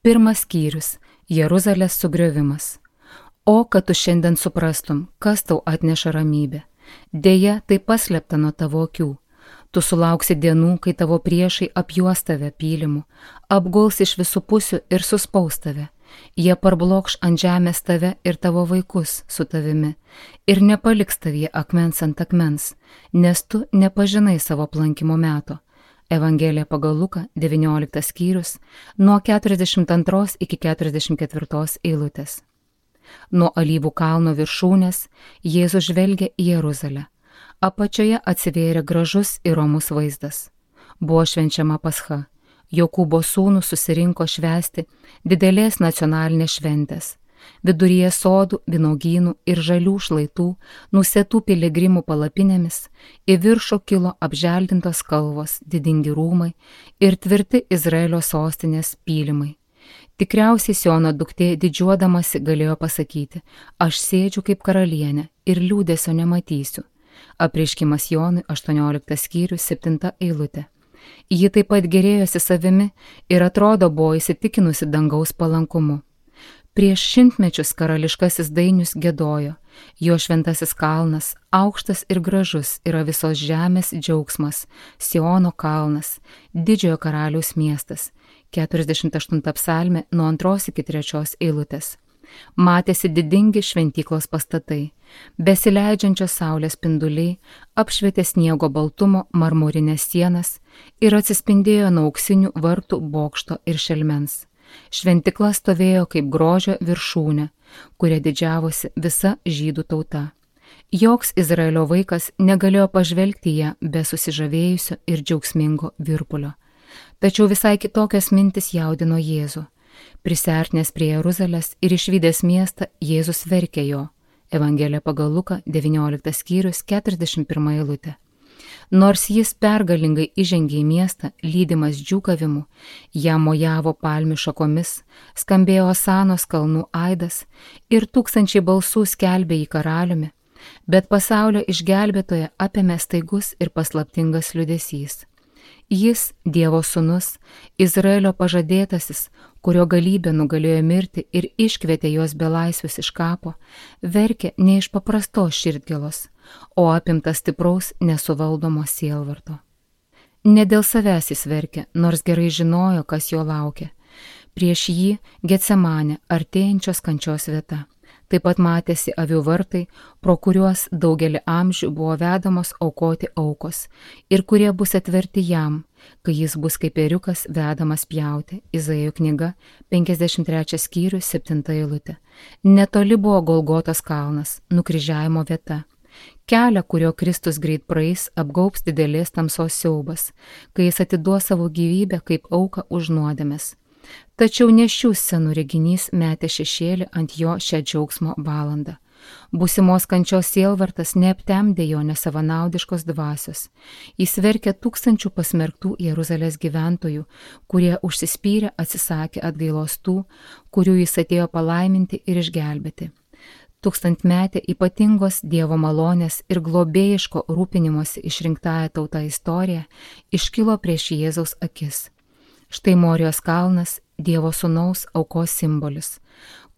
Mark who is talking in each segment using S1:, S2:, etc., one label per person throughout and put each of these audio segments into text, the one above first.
S1: Pirmas skyrius – Jeruzalės sugriovimas. O, kad tu šiandien suprastum, kas tau atneša ramybę. Deja, tai paslėpta nuo tavo akių. Tu sulauksi dienų, kai tavo priešai apjuos tave pylimu, apguls iš visų pusių ir suspaus tave. Jie parblokš ant žemės tave ir tavo vaikus su tavimi ir nepaliks tavyje akmens ant akmens, nes tu nepažinai savo aplankimo meto. Evangelija pagal Luką, 19 skyrius, nuo 42 iki 44 eilutės. Nuo Alyvų kalno viršūnės Jėzus žvelgė į Jeruzalę. Apačioje atsivėrė gražus ir romus vaizdas. Buvo švenčiama Pascha. Jokūbo sūnūs susirinko švęsti didelės nacionalinės šventės. Viduryje sodų, vynuogynų ir žalių šlaitų, nusėtų piligrimų palapinėmis, į viršų kilo apželdintos kalvos, didingi rūmai ir tvirti Izraelio sostinės pylimai. Tikriausiai Siono duktė didžiuodamasi galėjo pasakyti: aš sėdžiu kaip karalienė ir liūdesio nematysiu. Apreiškimas Jonui, 18 skyrius, 7 eilutė. Ji taip pat gėrėjosi savimi ir atrodo buvo įsitikinusi dangaus palankumu. Prieš šimtmečius karališkasis dainius giedojo: jo šventasis kalnas, aukštas ir gražus, yra visos žemės džiaugsmas, Siono kalnas, didžiojo karaliaus miestas. 48 psalmė nuo 2 iki 3 eilutės. Matėsi didingi šventyklos pastatai, besileidžiančios saulės spinduliai apšvietė sniego baltumo marmurinės sienas ir atsispindėjo nuo auksinių vartų bokšto ir šelmens. Šventykla stovėjo kaip grožio viršūnė, kuria didžiavosi visa žydų tauta. Joks Izraelio vaikas negalėjo pažvelgti ją be susižavėjusio ir džiaugsmingo virpulio. Tačiau visai kitokios mintis jaudino Jėzų. Prisiartinęs prie Jeruzalės ir išvydęs miestą, Jėzus verkė jo. Evangelija pagal Luką, 19 skyrius, 41 eilutė. Nors jis pergalingai įžengė į miestą, lydimas džiūgavimu, jam mojavo palmių šakomis, skambėjo Osanos kalnų aidas ir tūkstančiai balsų skelbė jį karaliumi, bet pasaulio išgelbėtoją apėmė staigus ir paslaptingas liūdesys. Jis, Dievo sūnus, Izraelio pažadėtasis, kurio galybė nugalėjo mirti ir iškvietė juos belaisvius iš kapo, verkė ne iš paprastos širdgėlos, o apimtas stipraus nesuvaldomo sielvarto. Ne dėl savęs jis verkė, nors gerai žinojo, kas jo laukia. Prieš jį Getsemanė, artėjančios kančios vieta. Taip pat matėsi avių vartai, pro kuriuos daugelį amžių buvo vedamos aukoti aukos ir kurie bus atverti jam, kai jis bus kaip ėriukas vedamas pjauti. Izaijo knyga, 53 skyrius, 7 eilutė. Netoli buvo Golgotos kalnas, nukryžiavimo vieta. Kelią, kurio Kristus greit praeis, apgaubs didelės tamsos siaubas, kai jis atiduos savo gyvybę kaip auką už nuodėmes. Tačiau ne šių scenų reginys metė šešėlį ant jo šią džiaugsmo valandą. Būsimos kančios sielvartas neaptemdė jo nesavanaudiškos dvasios. Jis verkė tūkstančių pasmerktų Jeruzalės gyventojų, kurie užsispyrę atsisakė atgailos tų, kurių jis atėjo palaiminti ir išgelbėti. Tūkstantmetė ypatingos Dievo malonės ir globėjiško rūpinimosi išrinktąją tautą istorija iškilo prieš Jėzaus akis. Štai Morijos kalnas, Dievo sūnaus aukos simbolis,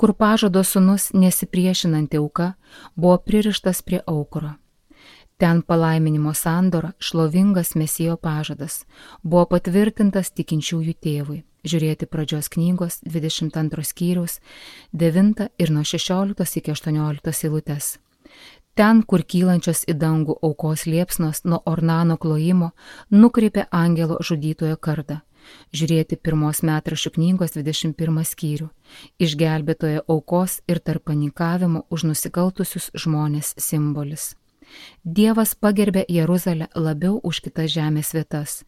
S1: kur pažado sūnus nesipriešinanti auka buvo pririštas prie aukuro. Ten palaiminimo sandora, šlovingas Mesijo pažadas, buvo patvirtintas tikinčiųjų tėvui. Žiūrėti pradžios knygos 22 skyriaus 9 ir nuo 16 iki 18 eilutės. Ten, kur kylančios į dangų aukos liepsnos nuo Ornano klojimo, nukreipė angelo žudytojo kardą. Žiūrėti pirmos metraščių knygos 21 skyrių. Išgelbėtojo aukos ir tarpininkavimo už nusikaltusius žmonės simbolis. Dievas pagerbė Jeruzalę labiau už kitas žemės vietas.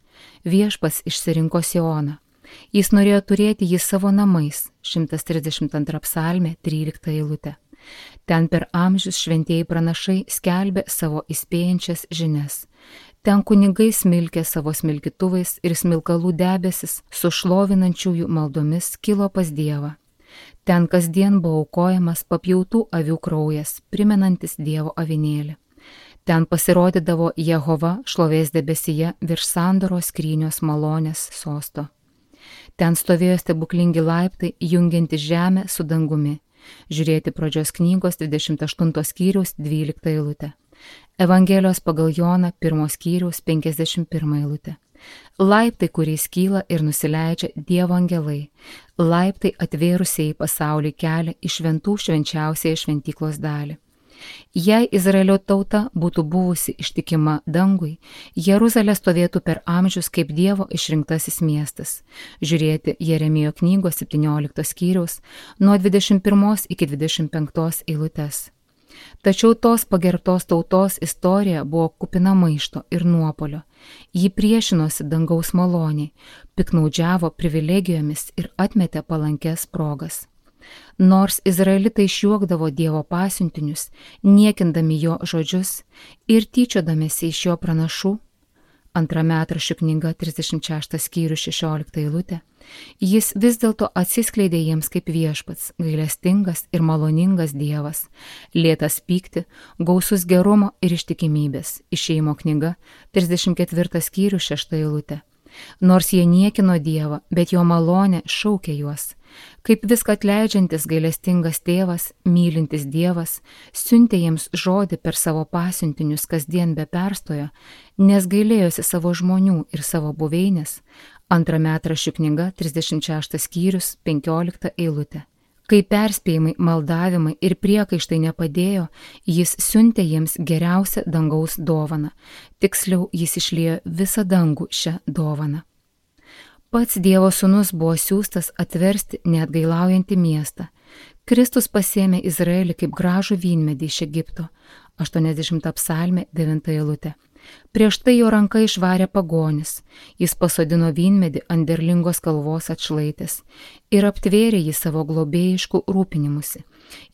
S1: Viešpats išsirinko Sioną. Jis norėjo turėti jį savo namais, 132 psalmė, 13 eilutė. Ten per amžius šventieji pranašai skelbė savo įspėjančias žinias. Ten kunigai smilkė savo smilkytuvais ir smilkalų debesis su šlovinančiųjų maldomis kilo pas Dievą. Ten kasdien buvo aukojamas papjautų avių kraujas, primenantis Dievo avinėlį. Ten pasirodydavo Jehova šlovės debesyje virš sandoros skrynios malonės sosto. Ten stovėjo stebuklingi laiptai, jungianti žemę su dangumi. Žiūrėti pradžios knygos 28 skyriaus 12 eilutę. Evangelijos pagal Joną 1 skyriaus 51 eilutę. Laiptai, kuriais kyla ir nusileidžia Dievo angelai. Laiptai atvėrusiai pasaulį kelią į šventų švenčiausiąją šventyklos dalį. Jei Izraelio tauta būtų buvusi ištikima dangui, Jeruzalė stovėtų per amžius kaip Dievo išrinktasis miestas. Žiūrėti Jeremijo knygos 17 skyriaus nuo 21 iki 25 eilutės. Tačiau tos pagerbtos tautos istorija buvo kupina maišto ir nuopolio. Ji priešinosi dangaus maloniai, piknaudžiavo privilegijomis ir atmetė palankes progas. Nors izraelitai išjuokdavo Dievo pasiuntinius, niekindami jo žodžius ir tyčiodamėsi iš jo pranašų, 2 Metraščių knyga 36 skyrius 16 eilutė, jis vis dėlto atsiskleidė jiems kaip viešpats, gailestingas ir maloningas Dievas, lėtas pykti, gausus gerumo ir ištikimybės. Išėjimo knyga 34 skyrius 6 eilutė. Nors jie niekino Dievą, bet jo malonė šaukė juos. Kaip viską atleidžiantis gailestingas tėvas, mylintis Dievas, siuntė jiems žodį per savo pasiuntinius kasdien be perstojo, nes gailėjosi savo žmonių ir savo buveinės. 2 Metraščių knyga 36 skyrius 15 eilutė. Kai perspėjimai, maldavimai ir priekaištai nepadėjo, jis siuntė jiems geriausią dangaus dovaną. Tiksliau, jis išliejo visą dangų šią dovaną. Pats Dievo sūnus buvo siųstas atversti neatgailaujantį miestą. Kristus pasėmė Izraelį kaip gražų vynmedį iš Egipto. 80 psalmė 9 eilutė. Prieš tai jo ranka išvarė pagonis, jis pasodino vynmedį ant derlingos kalvos atšlaitės ir aptvėrė jį savo globėjiškų rūpinimusi.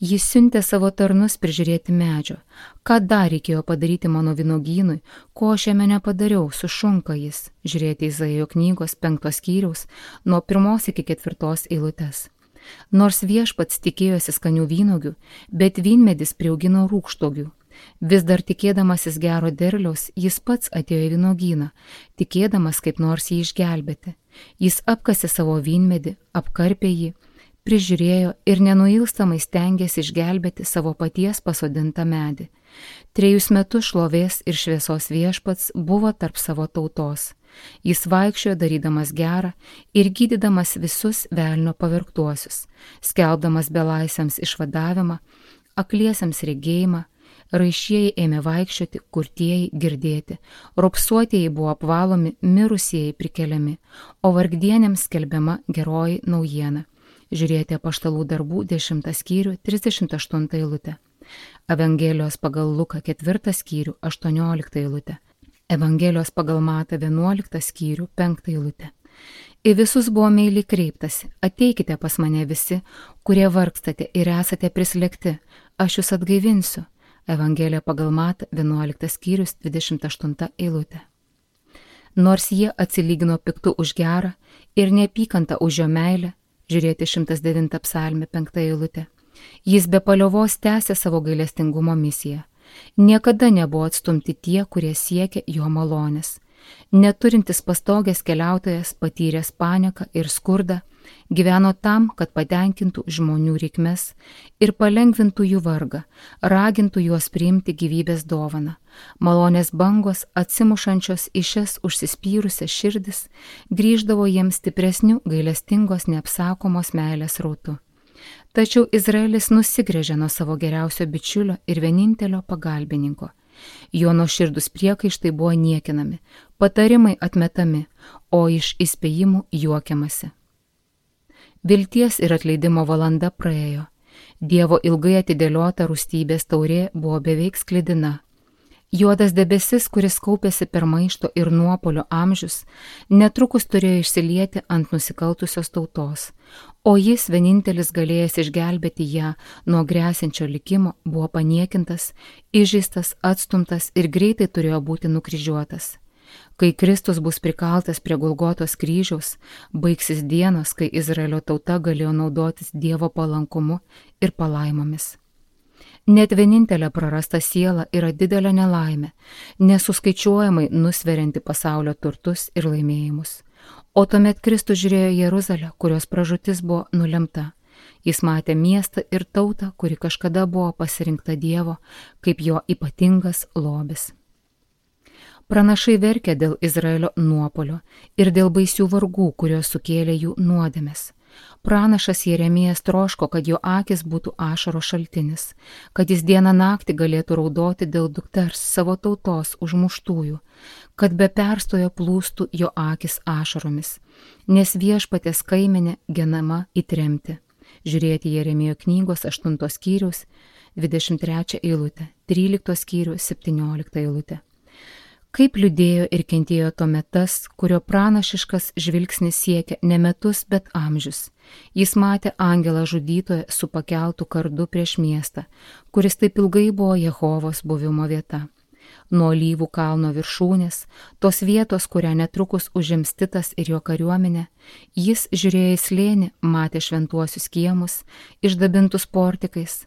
S1: Jis siuntė savo tarnus prižiūrėti medžio. Ką dar reikėjo padaryti mano vynogynui, ko aš jame nepadariau, sušunka jis. Žiūrėti Izaijo knygos 5 skyriaus nuo 1 iki 4 eilutės. Nors viešpats tikėjosi skanių vynogių, bet vynmedis priaugino rūgštogių. Vis dar tikėdamasis gero derliaus, jis pats atėjo į vynogyną, tikėdamas kaip nors jį išgelbėti. Jis apkasė savo vynmedį, apkarpė jį, prižiūrėjo ir nenuilstamai stengėsi išgelbėti savo paties pasodintą medį. 3 metus šlovės ir šviesos viešpats buvo tarp savo tautos. Jis vaikščiojo darydamas gerą ir gydydamas visus velnio pavergtuosius, skelbdamas belaisviams išvadavimą, akliesiems regėjimą, raišieji ėmė vaikščioti, kurtieji girdėti, ropsuotieji buvo apvalomi, mirusieji prikeliami, o vargdienėms skelbiama geroji naujiena. Žiūrėti Apaštalų darbų 10 skyrių 38 eilutę. Evangelijos pagal Luką 4 skyrių 18 eilutę. Evangelijos pagal Matą 11 skyrių 5 eilutę. Į visus buvo meiliai kreiptasi, ateikite pas mane visi, kurie vargstate ir esate prislėgti, aš jūs atgaivinsiu. Evangelija pagal Matą 11 skyrius 28 eilutė. Nors jie atsilygino piktu už gerą ir neapykantą už jo meilę, žiūrėti 109 psalmė 5 eilutė, jis be paliovos tęsė savo gailestingumo misiją. Niekada nebuvo atstumti tie, kurie siekė jo malonės. Neturintis pastogės keliautojas, patyręs paniką ir skurdą, gyveno tam, kad patenkintų žmonių reikmes ir palengvintų jų vargą, ragintų juos priimti gyvybės dovaną. Malonės bangos, atsimušančios į šias užsispyrusias širdis, grįždavo jiems stipresnių gailestingos neapsakomos meilės rautų. Tačiau Izraelis nusigręžė nuo savo geriausio bičiulio ir vienintelio pagalbininko. Jo nuoširdūs priekaištai buvo niekinami, patarimai atmetami, o iš įspėjimų juokiamasi. Vilties ir atleidimo valanda praėjo. Dievo ilgai atidėliota rūstybės taurė buvo beveik sklidina. Juodas debesis, kuris kaupėsi per maišto ir nuopolio amžius, netrukus turėjo išsilieti ant nusikaltusios tautos, o jis, vienintelis galėjęs išgelbėti ją nuo gresiančio likimo, buvo paniekintas, įžeistas, atstumtas ir greitai turėjo būti nukryžiuotas. Kai Kristus bus prikaltas prie Golgotos kryžiaus, baigsis dienos, kai Izraelio tauta galėjo naudotis Dievo palankumu ir palaimomis. Net vienintelė prarasta siela yra didelė nelaimė, nesuskaičiuojamai nusverianti pasaulio turtus ir laimėjimus. O tuomet Kristus žiūrėjo Jeruzalę, kurios pražūtis buvo nulemta. Jis matė miestą ir tautą, kuri kažkada buvo pasirinkta Dievo kaip jo ypatingas lobis. Pranašai verkė dėl Izraelio nuopolio ir dėl baisių vargų, kurios sukėlė jų nuodėmes. Pranašas Jeremijas troško, kad jo akis būtų ašaro šaltinis, kad jis dieną naktį galėtų raudoti dėl dukters savo tautos užmuštųjų, kad be perstojo plūstų jo akis ašaromis, nes Viešpaties kaimenė genama į tremtį. Žiūrėti Jeremijo knygos 8 skyriaus 23 eilutę, 13 skyriaus 17 eilutę. Kaip liūdėjo ir kentėjo tuomet tas, kurio pranašiškas žvilgsnis siekia ne metus, bet amžius. Jis matė angelą žudytoją su pakeltu kardu prieš miestą, kuris taip ilgai buvo Jehovos buvimo vieta. Nuo Alyvų kalno viršūnės, tos vietos, kurią netrukus užims Titas ir jo kariuomenė, jis žiūrėjo į slėnį, matė šventuosius kiemus, išdabintus portikais.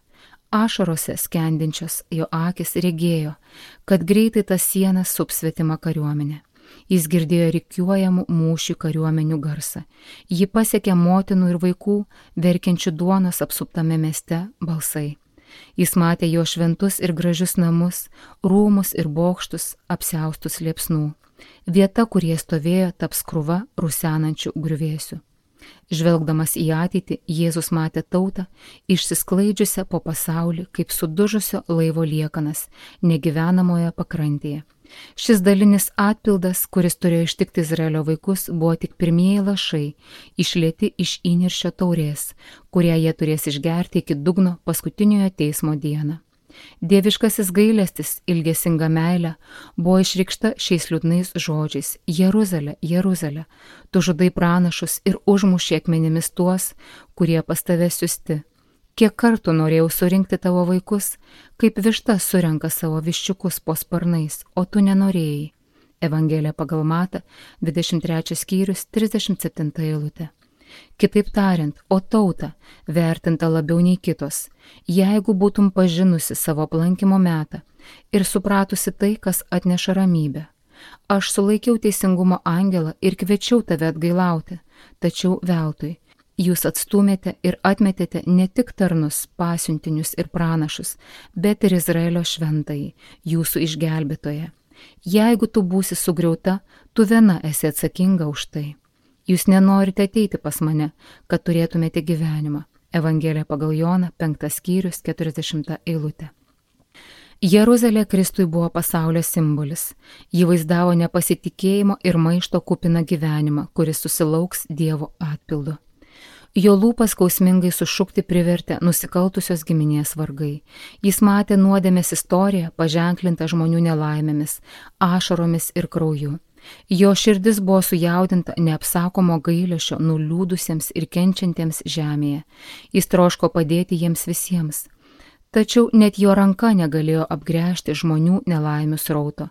S1: Ašarose skendinčios jo akis regėjo, kad greitai tas sienas sups svetima kariuomenė. Jis girdėjo rikiuojamų mūšių kariuomenių garsą. Ji pasiekė motinų ir vaikų, verkiančių duonos apsuptame mieste balsai. Jis matė jo šventus ir gražius namus, rūmus ir bokštus, apsiaustus liepsnų. Vieta, kur jie stovėjo, taps krūva rusenančių griuvėsių. Žvelgdamas į ateitį, Jėzus matė tautą, išsisklaidžiusią po pasaulį kaip sudužusio laivo liekanas negyvenamoje pakrantėje. Šis dalinis atpildas, kuris turėjo ištikti Izraelio vaikus, buvo tik pirmieji lašai, išlieti iš įniršio taurės, kurią jie turės išgerti iki dugno paskutiniojo teismo dieną. Dieviškasis gailestis, ilgesinga meilė buvo išreikšta šiais liūdnais žodžiais: Jeruzalė, Jeruzalė, tu žudai pranašus ir užmuši akmenimis tuos, kurie pas tave siusti. Kiek kartų norėjau surinkti tavo vaikus, kaip višta surenka savo viščiukus po sparnais, o tu nenorėjai. Evangelija pagal Matą, 23 skyrius, 37 eilutė. Kitaip tariant, o tauta, vertinta labiau nei kitos, jeigu būtum pažinusi savo aplankymo metą ir supratusi tai, kas atneša ramybę. Aš sulaikiau teisingumo angelą ir kviečiau tave atgailauti, tačiau veltui. Jūs atstūmėte ir atmetėte ne tik tarnus, pasiuntinius ir pranašus, bet ir Izraelio šventąjį, jūsų išgelbėtoją. Jeigu tu būsi sugriauta, tu viena esi atsakinga už tai. Jūs nenorite ateiti pas mane, kad turėtumėte gyvenimą. Evangelija pagal Joną, 5 skyrius, 40 eilutė. Jeruzalė Kristui buvo pasaulio simbolis. Ji vaizdavo nepasitikėjimo ir maišto kupiną gyvenimą, kuris susilauks Dievo atpildu. Jo lūpas skausmingai sušukti privertė nusikaltusios giminės vargai. Jis matė nuodėmės istoriją, paženklintą žmonių nelaimėmis, ašaromis ir krauju. Jo širdis buvo sujaudinta neapsakomo gailesčio nuliūdusiems ir kenčiantiems žemėje. Jis troško padėti jiems visiems. Tačiau net jo ranka negalėjo apgręžti žmonių nelaimių srauto.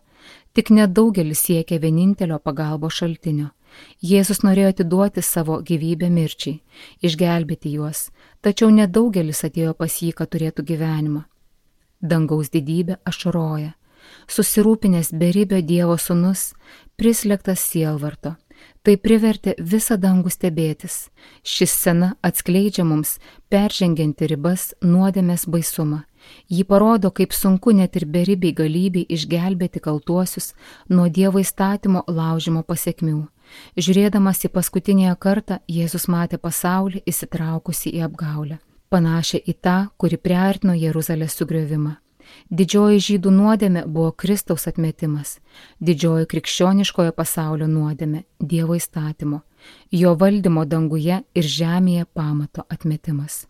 S1: Tik nedaugelis siekė vienintelio pagalbos šaltinio. Jėzus norėjo atiduoti savo gyvybę mirčiai, išgelbėti juos, tačiau nedaugelis atėjo pas jį, kad turėtų gyvenimą. Dangaus didybė ašaroja. Susirūpinęs beribio Dievo sūnus, prislėgtas sielvarto. Tai privertė visą dangų stebėtis. Ši scena atskleidžia mums peržengianti ribas nuodėmės baisumą. Ji parodo, kaip sunku net ir beribiai galybei išgelbėti kaltuosius nuo Dievo įstatymo laužimo pasekmių. Žiūrėdamas į paskutinėje kartą, Jėzus matė pasaulį įsitraukusi į apgaulę, panašią į tą, kuri priartino Jeruzalės sugriovimą. Didžioji žydų nuodėmė buvo Kristaus atmetimas, didžioji krikščioniškojo pasaulio nuodėmė – Dievo įstatymo, jo valdymo danguje ir žemėje pamato atmetimas.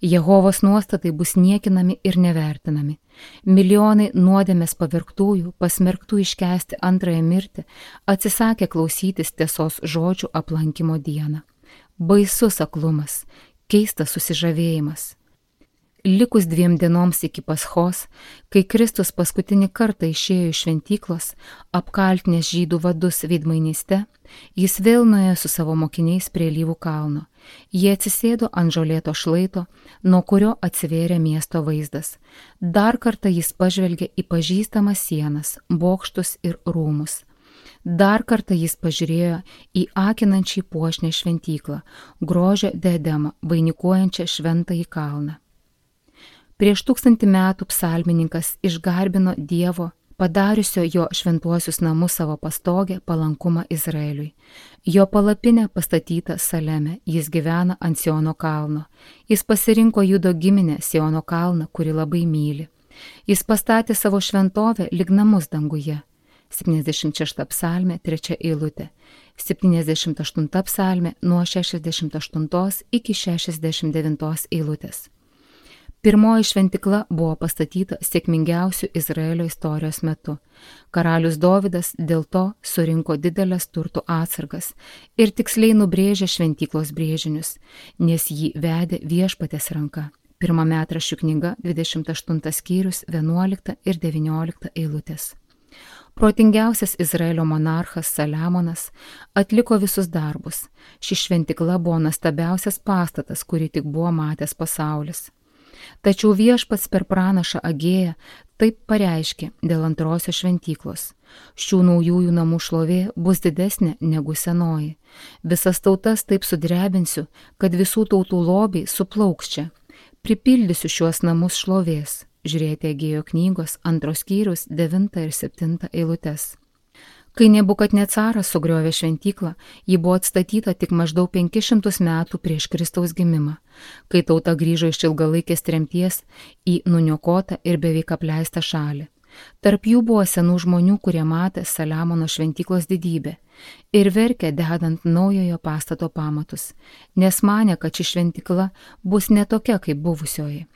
S1: Jehovos nuostatai bus niekinami ir nevertinami. Milijonai nuodėmės pavergtųjų, pasmerktų iškęsti antrąją mirtį, atsisakė klausytis tiesos žodžių aplankymo dieną. Baisus aklumas, keistas susižavėjimas. Likus 2 dienoms iki Paschos, kai Kristus paskutinį kartą išėjo iš šventyklos, apkaltinęs žydų vadus veidmainyste, jis vėl nuėjo su savo mokiniais prie Alyvų kalno. Jie atsisėdo ant žolėto šlaito, nuo kurio atsivėrė miesto vaizdas. Dar kartą jis pažvelgė į pažįstamas sienas, bokštus ir rūmus. Dar kartą jis pažiūrėjo į akinančiai puošnę šventyklą, grožio diademą, vainikuojančią šventąjį kalną. Prieš 1000 metų psalmininkas išgarbino Dievo, padariusio jo šventuosius namus savo pastogę, palankumą Izraeliui. Jo palapinė pastatyta Saleme, jis gyvena ant Siono kalno. Jis pasirinko Judo giminę Siono kalną, kuri labai myli. Jis pastatė savo šventovę lyg namus danguje. 76 psalmė, 3 eilutė. 78 psalmė nuo 68 iki 69 eilutės. Pirmoji šventikla buvo pastatyta sėkmingiausių Izraelio istorijos metu. Karalius Dovydas dėl to surinko didelės turtų atsargas ir tiksliai nubrėžė šventyklos brėžinius, nes jį vedė Viešpaties ranka. 1 Metraščių knyga, 28 skyrius, 11 ir 19 eilutės. Protingiausias Izraelio monarchas Saliamonas atliko visus darbus. Ši šventikla buvo nuostabiausias pastatas, kurį tik buvo matęs pasaulis. Tačiau Viešpats per pranašą Agėją taip pareiškė dėl antrosios šventyklos. Šių naujųjų namų šlovė bus didesnė negu senoji. Visas tautas taip sudrebinsiu, kad visų tautų lobiai suplauks čia. Pripildysiu šiuos namus šlovės. Žiūrėti Agėjo knygos 2 skyrius 9 ir 7 eilutes. Kai Nebukadnecaras sugriovė šventyklą, ji buvo atstatyta tik maždaug 500 metų prieš Kristaus gimimą, kai tauta grįžo iš ilgalaikės tremties į nuniokotą ir beveik apleistą šalį. Tarp jų buvo senų žmonių, kurie matė Saliamono šventyklos didybę ir verkė dedant naujojo pastato pamatus, nes manė, kad ši šventykla bus ne tokia kaip buvusioji.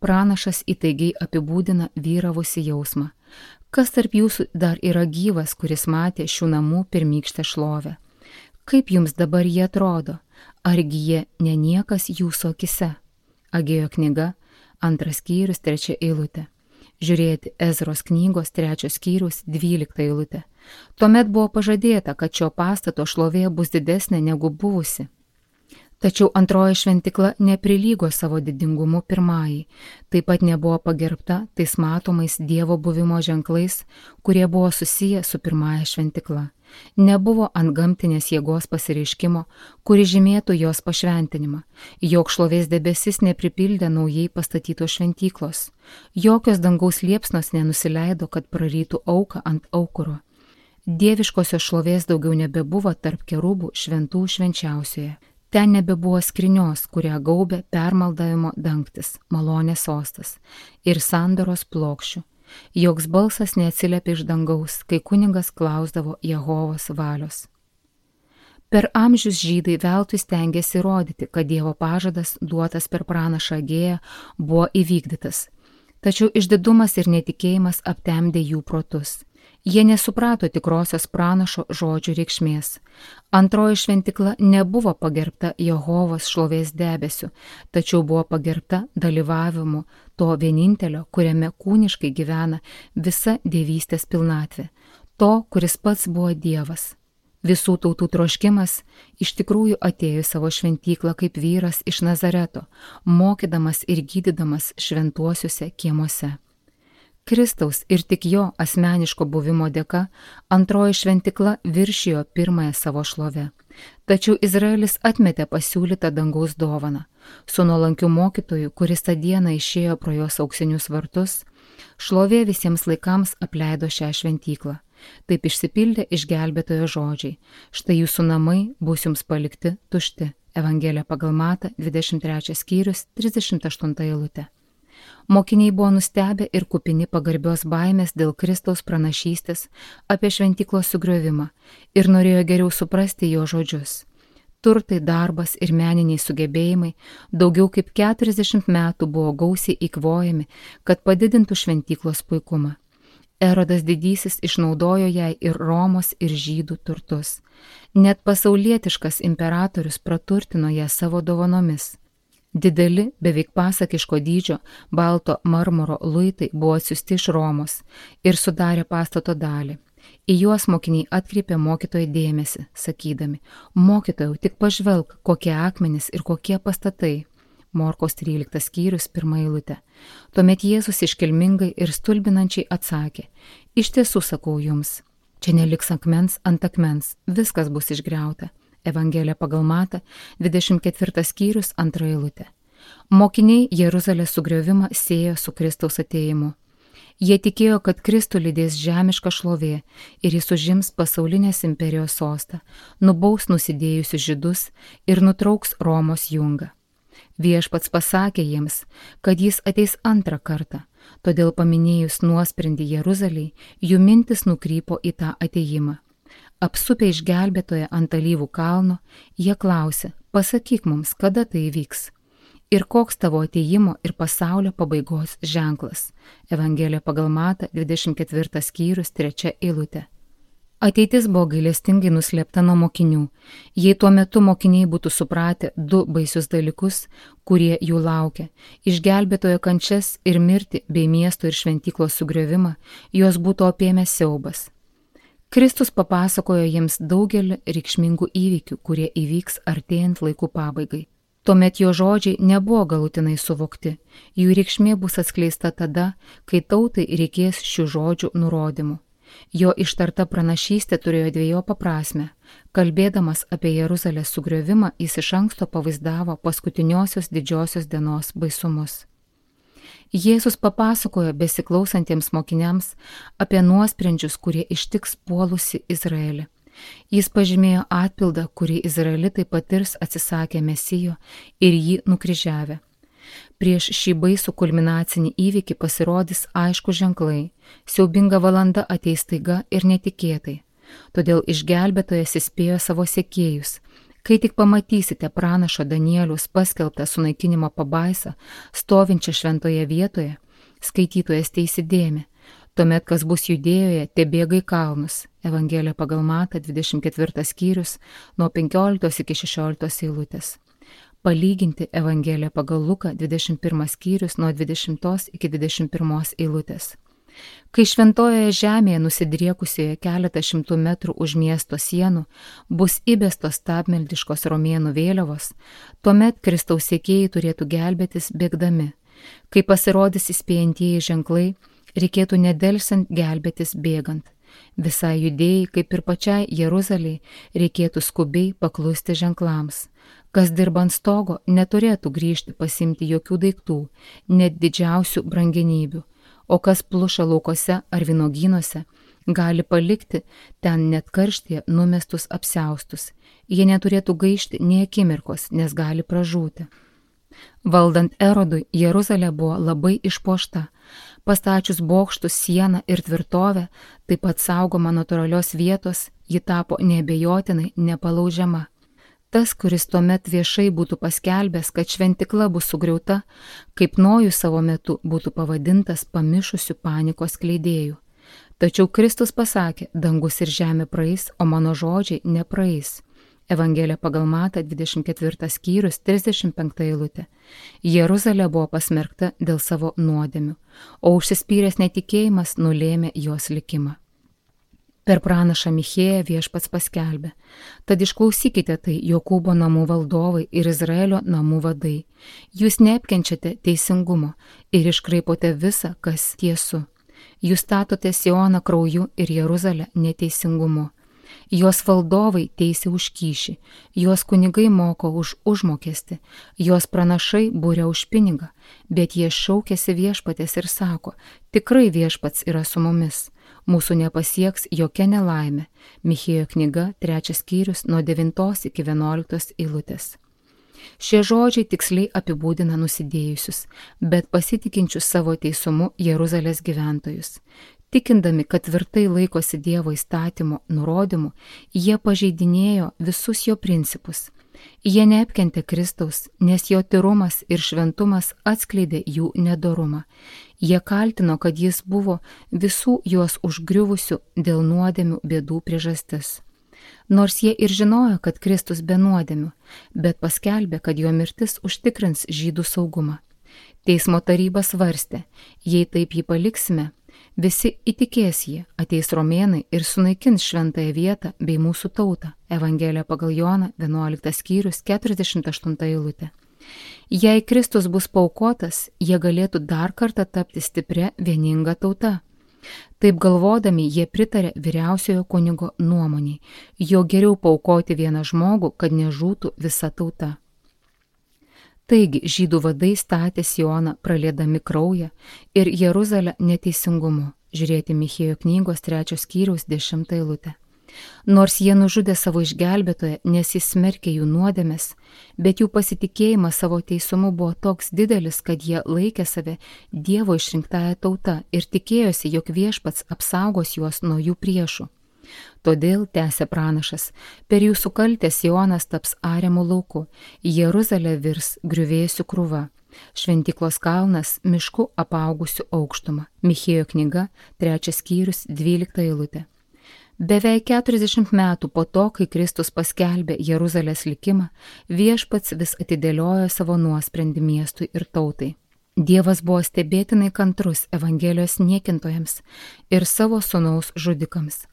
S1: Pranašas įtaigiai apibūdina vyravusi jausmą. Kas tarp jūsų dar yra gyvas, kuris matė šių namų pirmykštę šlovę? Kaip jums dabar jie atrodo? Argi jie ne niekas jūsų akise? Agėjo knyga, 2 skyrius, 3 eilutė. Žiūrėti Ezros knygos 3 skyrius, 12 eilutė. Tuomet buvo pažadėta, kad šio pastato šlovė bus didesnė negu buvusi. Tačiau antroji šventikla neprilygo savo didingumu pirmajai, taip pat nebuvo pagerbta tais matomais Dievo buvimo ženklais, kurie buvo susiję su pirmąja šventikla. Nebuvo antgamtinės jėgos pasireiškimo, kuri žymėtų jos pašventinimą. Jok šlovės debesis nepripildė naujai pastatytos šventyklos. Jokios dangaus liepsnos nenusileido, kad prarytų auką ant aukuro. Dieviškosios šlovės daugiau nebebuvo tarp kerubų šventų švenčiausioje. Ten nebebuvo skrinios, kurią gaubė permaldavimo dangtis, malonės sostas ir sandoros plokščių. Joks balsas neatsiliepė iš dangaus, kai kunigas klausdavo Jehovos valios. Per amžius žydai veltui stengėsi įrodyti, kad Dievo pažadas duotas per pranašą Agėją buvo įvykdytas. Tačiau išdidumas ir netikėjimas aptemdė jų protus. Jie nesuprato tikrosios pranašo žodžių reikšmės. Antroji šventikla nebuvo pagerbta Jehovos šlovės debesiu, tačiau buvo pagerbta dalyvavimu to vienintelio, kuriame kūniškai gyvena visa dievystės pilnatvė, to, kuris pats buvo Dievas. Visų tautų troškimas iš tikrųjų atėjo į savo šventyklą kaip vyras iš Nazareto, mokydamas ir gydydamas šventuosiuose kiemuose. Kristaus ir tik jo asmeniško buvimo dėka antroji šventikla viršijo pirmąją savo šlovę. Tačiau Izraelis atmetė pasiūlytą dangaus dovaną. Su nuolankiu mokytoju, kuris tą dieną išėjo pro jos auksinius vartus, šlovė visiems laikams apleido šią šventyklą. Taip išsipildė išgelbėtojo žodžiai. Štai jūsų namai bus jums palikti tušti. Evangelija pagal Matą, 23 skyrius, 38 eilutė. Mokiniai buvo nustebę ir kupini pagarbios baimės dėl Kristaus pranašystės apie šventyklos sugriovimą ir norėjo geriau suprasti jo žodžius. Turtai, darbas ir meniniai sugebėjimai daugiau kaip 40 metų buvo gausiai įkvojami, kad padidintų šventyklos puikumą. Erodas didysis išnaudojo jai ir Romos ir žydų turtus. Net pasaulietiškas imperatorius praturtino ją savo dovanomis. Dideli, beveik pasakiško dydžio, balto marmuro luitai buvo atsiųsti iš Romos ir sudarė pastato dalį. Į juos mokiniai atkreipė mokytojo dėmesį, sakydami: mokytojau, tik pažvelk, kokie akmenys ir kokie pastatai. Morkos 13 skyrius 1 eilutė. Tuomet Jėzus iškilmingai ir stulbinančiai atsakė: iš tiesų sakau jums, Čia neliks akmens ant akmens, viskas bus išgriauta. Evangelija pagal Matą, 24 skyrius, 2 eilutė. Mokiniai Jeruzalės sugriovimą siejo su Kristaus atėjimu. Jie tikėjo, kad Kristų lydės žemiška šlovė ir jis užims pasaulinės imperijos sostą, nubaus nusidėjusius žydus ir nutrauks Romos jungą. Viešpats pasakė jiems, kad jis ateis antrą kartą, todėl paminėjus nuosprendį Jeruzalei, jų mintis nukrypo į tą atėjimą. Apsupę išgelbėtoje ant Alyvų kalno, jie klausė, pasakyk mums, kada tai įvyks. Ir koks tavo atėjimo ir pasaulio pabaigos ženklas. Evangelija pagal Matą, 24 skyrius, 3 eilutė. Ateitis buvo gailestingai nuslėpta nuo mokinių. Jei tuo metu mokiniai būtų supratę du baisius dalykus, kurie jų laukia - išgelbėtojo kančias ir mirtį bei miesto ir šventyklos sugriovimą, juos būtų apėmęs siaubas. Kristus papasakojo jiems daugelį reikšmingų įvykių, kurie įvyks artėjant laikų pabaigai. Tuomet jo žodžiai nebuvo galutinai suvokti, jų reikšmė bus atskleista tada, kai tautai reikės šių žodžių nurodymų. Jo ištarta pranašystė turėjo dviejopą prasmę. Kalbėdamas apie Jeruzalės sugriovimą, jis iš anksto pavaizdavo paskutiniosios didžiosios dienos baisumus. Jėzus papasakojo besiklausantiems mokiniams apie nuosprendžius, kurie ištiks puolusi Izraelį. Jis pažymėjo atpildą, kurį izraelitai patirs atsisakę Mesijo ir jį nukryžiavę. Prieš šį baisų kulminacinį įvykį pasirodys aiškus ženklai, siaubinga valanda ateis staiga ir netikėtai. Todėl išgelbėtojas įspėjo savo sekėjus, kai tik pamatysite pranašo Danieliaus paskelbtą sunaikinimo pabaisą, stovinčią šventoje vietoje, skaitytojas teįsidėmė. Tuomet, kas bus Judėjoje, tebėga į kalnus. Evangelija pagal Matą, 24 skyrius, nuo 15 iki 16 eilutės. Palyginti Evangeliją pagal Luką, 21 skyrius, nuo 20 iki 21 eilutės. Kai šventojoje žemėje nusidriekusioje keletą šimtų metrų už miesto sienų bus įbestos stabmeldiškos romėnų vėliavos, tuomet Kristaus sekėjai turėtų gelbėtis bėgdami. Kai pasirodys įspėjantieji ženklai, reikėtų nedelsiant gelbėtis bėgant. Visai Judėjai, kaip ir pačiai Jeruzalei, reikėtų skubiai paklusti ženklams. Kas dirba ant stogo, neturėtų grįžti pasimti jokių daiktų, net didžiausių brangenybių, o kas pluša laukose ar vynuogynuose, gali palikti ten net karštyje numestus apsiaustus. Jie neturėtų gaišti nė akimirkos, nes gali pražūti. Valdant Erodui, Jeruzalė buvo labai išpuošta. Pastačius bokštus, sieną ir tvirtovę, taip pat saugoma natūralios vietos, ji tapo neabejotinai nepalaužiama. Tas, kuris tuomet viešai būtų paskelbęs, kad šventikla bus sugriauta, kaip Nojus savo metu būtų pavadintas pamišusių panikos skleidėjų. Tačiau Kristus pasakė, dangus ir žemė praeis, o mano žodžiai nepraeis. Evangelija pagal Matą, 24 skyrius, 35 eilutė. Jeruzalė buvo pasmerkta dėl savo nuodėmių, o užsispyręs netikėjimas nulėmė jos likimą. Per pranašą Michėją Viešpats paskelbė, tad išklausykite tai Jokūbo namų valdovai ir Izraelio namų vadai. Jūs neapkenčiate teisingumo ir iškraipote visą, kas tiesu. Jūs statote Sioną krauju ir Jeruzalę neteisingumu. Jos valdovai teisia už kyšį, jos kunigai moko už užmokestį, jos pranašai būria už pinigą, bet jie šaukiasi Viešpatės ir sako, tikrai Viešpats yra su mumis, mūsų nepasieks jokia nelaimė. Michėjo knyga, 3 skyrius, nuo 9 iki 11 eilutės. Šie žodžiai tiksliai apibūdina nusidėjusius, bet pasitikinčius savo teisumu Jeruzalės gyventojus. Tikindami, kad tvirtai laikosi Dievo įstatymo nurodymų, jie pažeidinėjo visus jo principus. Jie neapkentė Kristaus, nes jo tyrumas ir šventumas atskleidė jų nedorumą. Jie kaltino, kad jis buvo visų juos užgriuvusių dėl nuodėmių bėdų priežastis. Nors jie ir žinojo, kad Kristus be nuodėmių, bet paskelbė, kad jo mirtis užtikrins žydų saugumą. Teismo taryba svarstė, jei taip jį paliksime, visi įtikės jį, ateis romėnai ir sunaikins šventąją vietą bei mūsų tautą. Evangelija pagal Joną, 11 skyrius, 48 eilutė. Jei Kristus bus paaukotas, jie galėtų dar kartą tapti stipria vieninga tauta. Taip galvodami jie pritarė vyriausiojo kunigo nuomoniai, jo geriau paaukoti vieną žmogų, kad nežūtų visa tauta. Taigi žydų vadai statė Sioną praliedami kraują ir Jeruzalę neteisingumu. Žiūrėti Michėjo knygos 3 skyriaus 10 eilutę. Nors jie nužudė savo išgelbėtoją, nes jis smerkė jų nuodėmes, bet jų pasitikėjimas savo teisumu buvo toks didelis, kad jie laikė save Dievo išrinktąją tautą ir tikėjosi, jog viešpats apsaugos juos nuo jų priešų. Todėl, tęsė pranašas, per jūsų kaltę Sionas taps ariamų lauku, Jeruzalė virs griuvėsių krūva, šventyklos kalnas mišku apaugusiu aukštumą. Michėjo knyga 3 skyrius 12 eilutė. Beveik 40 metų po to, kai Kristus paskelbė Jeruzalės likimą, viešpats vis atidėliojo savo nuosprendį miestui ir tautai. Dievas buvo stebėtinai kantrus Evangelijos niekintojams ir savo sūnaus žudikams.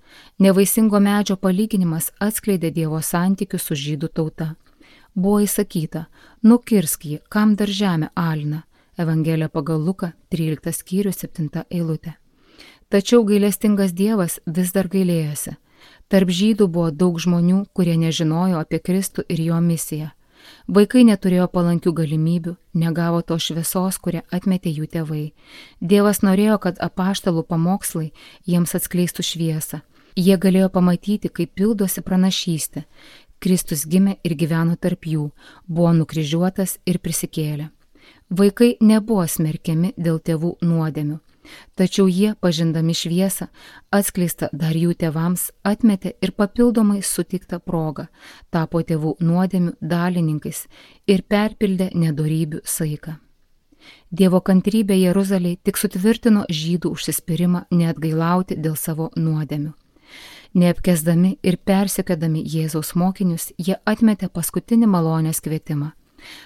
S1: Nevaisingo medžio palyginimas atskleidė Dievo santykius su žydų tauta. Buvo įsakyta, nukirsk jį, kam dar žemė alina. Evangelija pagal Luką 13 skyrius 7 eilutė. Tačiau gailestingas Dievas vis dar gailėjosi. Tarp žydų buvo daug žmonių, kurie nežinojo apie Kristų ir jo misiją. Vaikai neturėjo palankių galimybių, negavo to šviesos, kurią atmetė jų tėvai. Dievas norėjo, kad apaštalų pamokslai jiems atskleistų šviesą. Jie galėjo pamatyti, kaip pildosi pranašystė. Kristus gimė ir gyveno tarp jų, buvo nukryžiuotas ir prisikėlė. Vaikai nebuvo smerkiami dėl tėvų nuodėmių. Tačiau jie, pažindami šviesą, atskleistą dar jų tėvams, atmetė ir papildomai sutiktą progą, tapo tėvų nuodėmių dalininkais ir perpildė nedorybių saiką. Dievo kantrybė Jeruzalei tik sutvirtino žydų užsispyrimą neatgailauti dėl savo nuodėmių. Neapkesdami ir persekiodami Jėzaus mokinius, jie atmetė paskutinį malonės kvietimą.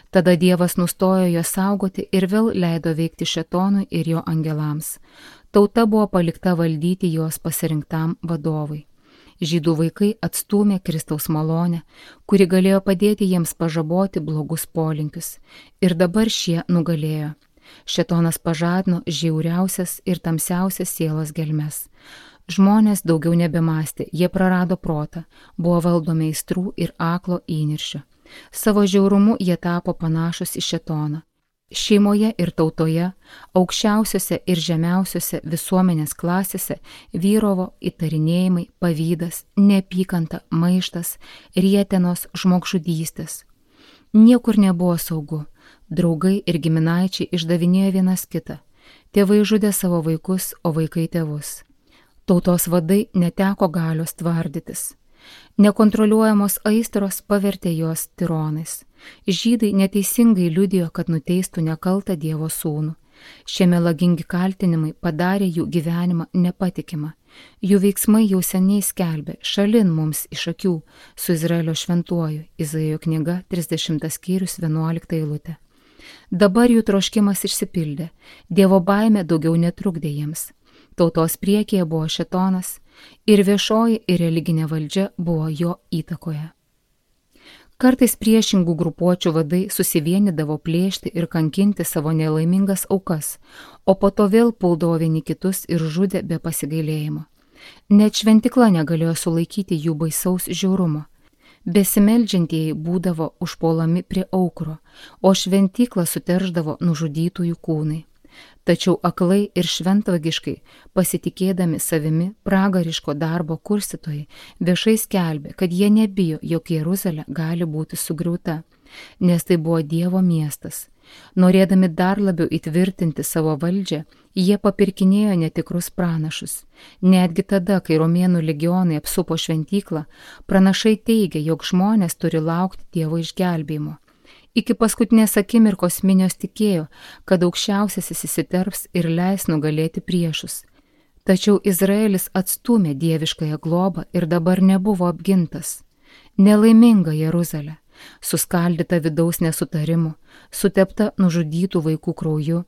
S1: Tada Dievas nustojo juos saugoti ir vėl leido veikti šėtonui ir jo angelams. Tauta buvo palikta valdyti jos pasirinktam vadovui. Žydų vaikai atstūmė Kristaus malonę, kuri galėjo padėti jiems pažaboti blogus polinkius. Ir dabar šie nugalėjo. Šėtonas pažadino žiauriausias ir tamsiausias sielos gelmes. Žmonės daugiau nebemąstė, jie prarado protą, buvo valdomi aistrų ir aklo įniršio. Savo žiaurumu jie tapo panašus į šėtoną. Šeimoje ir tautoje, aukščiausiose ir žemiausiose visuomenės klasėse vyravo įtarinėjimai, pavydas, neapykanta, maištas, rietenos, žmogžudystės. Niekur nebuvo saugu. Draugai ir giminaičiai išdavinėjo vienas kitą. Tėvai žudė savo vaikus, o vaikai tėvus. Tautos vadai neteko galios tvardytis. Nekontroliuojamos aistros pavertė juos tironais. Žydai neteisingai liudijo, kad nuteistų nekaltą Dievo sūnų. Šie melagingi kaltinimai padarė jų gyvenimą nepatikimą. Jų veiksmai jau seniai skelbė šalin mums iš akių su Izraelio šventuoju. Izaijo knyga 30 skyrius 11 eilutė. Dabar jų troškimas išsipildė. Dievo baimė daugiau netrukdė jiems. Tautos priekyje buvo šėtonas ir viešoji ir religinė valdžia buvo jo įtakoje. Kartais priešingų grupuočių vadai susivienydavo plėšti ir kankinti savo nelaimingas aukas, o po to vėl puldavo vieni kitus ir žudė be pasigailėjimo. Net šventykla negalėjo sulaikyti jų baisaus žiaurumo. Besimeldžiantieji būdavo užpuolami prie aukuro, o šventyklą suterždavo nužudytųjų kūnai. Tačiau aklai ir šventvagiškai, pasitikėdami savimi, pragariško darbo kurstytojai viešai skelbė, kad jie nebijo, jog Jeruzalė gali būti sugriauta, nes tai buvo Dievo miestas. Norėdami dar labiau įtvirtinti savo valdžią, jie papirkinėjo netikrus pranašus. Netgi tada, kai romėnų legionai apsupo šventyklą, pranašai teigė, jog žmonės turi laukti Dievo išgelbėjimo. Iki paskutinės akimirkos minios tikėjo, kad aukščiausiasis įsiterps ir leis nugalėti priešus. Tačiau Izraelis atstūmė dieviškąją globą ir dabar nebuvo apgintas. Nelaiminga Jeruzalė, suskaldyta vidaus nesutarimų, sutepta nužudytų vaikų krauju,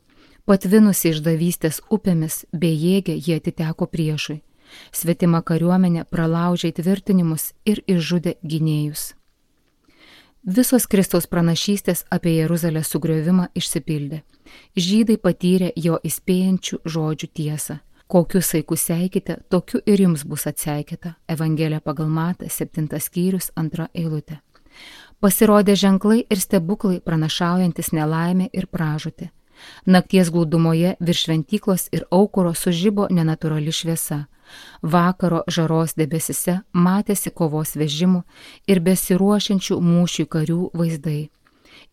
S1: patvinusi išdavystės upėmis, bejėgė jie atiteko priešui. Svetima kariuomenė pralaužė įtvirtinimus ir išžudė gynėjus. Visos Kristaus pranašystės apie Jeruzalės sugriovimą išsipildė. Žydai patyrė jo įspėjančių žodžių tiesą. Kokius saikus seikite, tokiu ir jums bus atseikėta. Evangelija pagal Matą, 7 skyrius, 2 eilutė. Pasirodė ženklai ir stebuklai pranašaujantis nelaimę ir pražūtį. Nakties glūdumoje virš šventyklos ir aukuro sužibo nenatūrali šviesa. Vakaro žaros debesise matėsi kovos vežimų ir besiruošiančių mūšių karių vaizdai.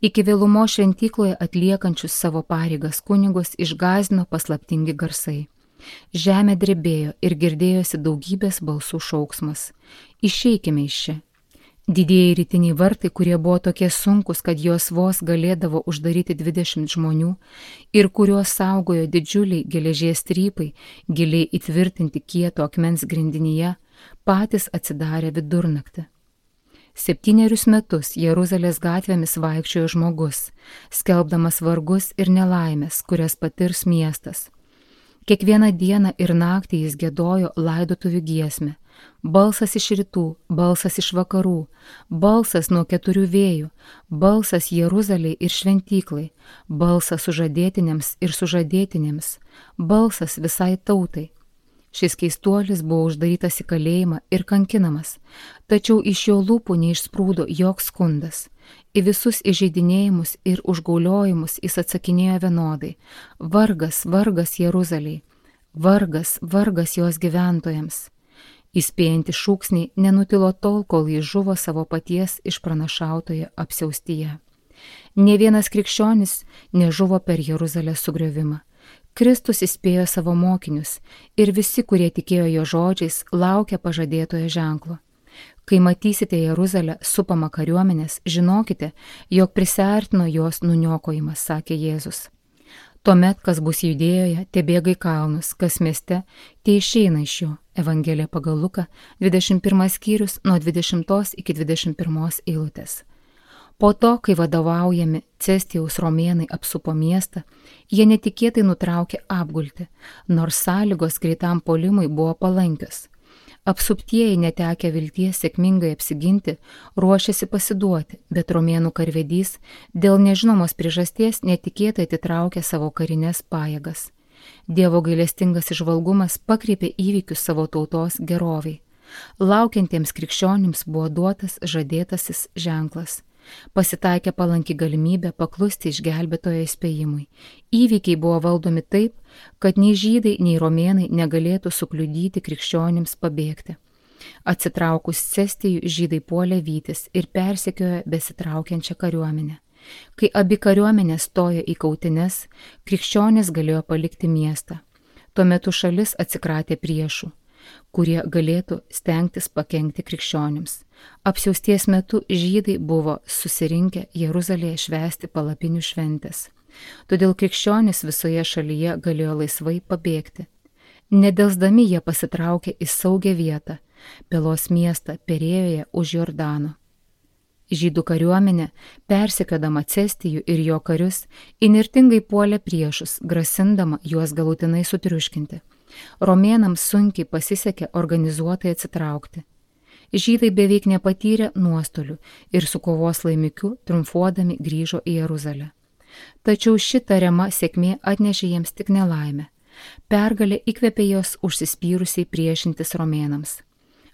S1: Iki vėlumo šventykloje atliekančius savo pareigas kunigus išgąsdino paslaptingi garsai. Žemė drebėjo ir girdėjosi daugybės balsų šauksmas. Išeikime iš čia. Didieji rytiniai vartai, kurie buvo tokie sunkus, kad juos vos galėdavo uždaryti 20 žmonių ir kuriuos saugojo didžiuliai geležies strypai, giliai įtvirtinti kieto akmens grindinyje, patys atsidarė vidurnaktį. 7 metus Jeruzalės gatvėmis vaikščiojo žmogus, skelbdamas vargus ir nelaimės, kurias patirs miestas. Kiekvieną dieną ir naktį jis giedojo laidotuvių giesmę. Balsas iš rytų, balsas iš vakarų, balsas nuo 4 vėjų, balsas Jeruzalei ir šventyklai, balsas sužadėtiniams ir sužadėtinėms, balsas visai tautai. Šis keistuolis buvo uždarytas į kalėjimą ir kankinamas, tačiau iš jo lūpų neišsprūdo joks skundas. Į visus įžeidinėjimus ir užgauliojimus jis atsakinėjo vienodai: vargas, vargas Jeruzalei, vargas, vargas jos gyventojams. Įspėjantys šūksniai nenutilo tol, kol jis žuvo savo paties išpranašautoje apsiaustyje. Nė vienas krikščionis nežuvo per Jeruzalės sugriovimą. Kristus įspėjo savo mokinius ir visi, kurie tikėjo jo žodžiais, laukia pažadėtojo ženklo. Kai matysite Jeruzalę supamą kariuomenės, žinokite, jog prisiartino jos nuniokojimas, sakė Jėzus. Tuomet, kas bus Judėjoje, te bėga į kalnus, kas mieste, te išeina iš jo. Evangelija pagal Luką, 21 skyrius, nuo 20 iki 21 eilutės. Po to, kai vadovaujami Cestijaus romėnai apsupo miestą, jie netikėtai nutraukė apgulti, nors sąlygos greitam puolimui buvo palankios. Apsuptieji, netekę vilties sėkmingai apsiginti, ruošėsi pasiduoti, bet romėnų karvedys dėl nežinomos priežasties netikėtai atitraukė savo karinės pajėgas. Dievo gailestingas įžvalgumas pakreipė įvykius savo tautos geroviai. Laukiantiems krikščionims buvo duotas žadėtasis ženklas. Pasitaikė palanki galimybė paklusti išgelbėtojo įspėjimui. Įvykiai buvo valdomi taip, kad nei žydai, nei romėnai negalėtų sukliudyti krikščionims pabėgti. Atsitraukus Cestijui, žydai puolė vytis ir persekiojo besitraukiančią kariuomenę. Kai abi kariuomenės stojo į kautines, krikščionys galėjo palikti miestą. Tuo metu šalis atsikratė priešų, kurie galėtų stengtis pakenkti krikščionims. Apsiausties metu žydai buvo susirinkę Jeruzalėje švęsti palapinių šventės. Todėl krikščionys visoje šalyje galėjo laisvai pabėgti. Nedelsdami jie pasitraukė į saugią vietą, Pelos miestą Perėjoje už Jordano. Žydų kariuomenė, persekiodama Cestijų ir jo karius, įnirtingai puolė priešus, grasindama juos galutinai sutriuškinti. Romėnams sunkiai pasisekė organizuotai atsitraukti. Žydai beveik nepatyrė nuostolių ir su kovos laimikiu triumfuodami grįžo į Jeruzalę. Tačiau ši tariama sėkmė atnešė jiems tik nelaimę. Pergalė įkvėpė jos užsispyrusiai priešintis romėnams.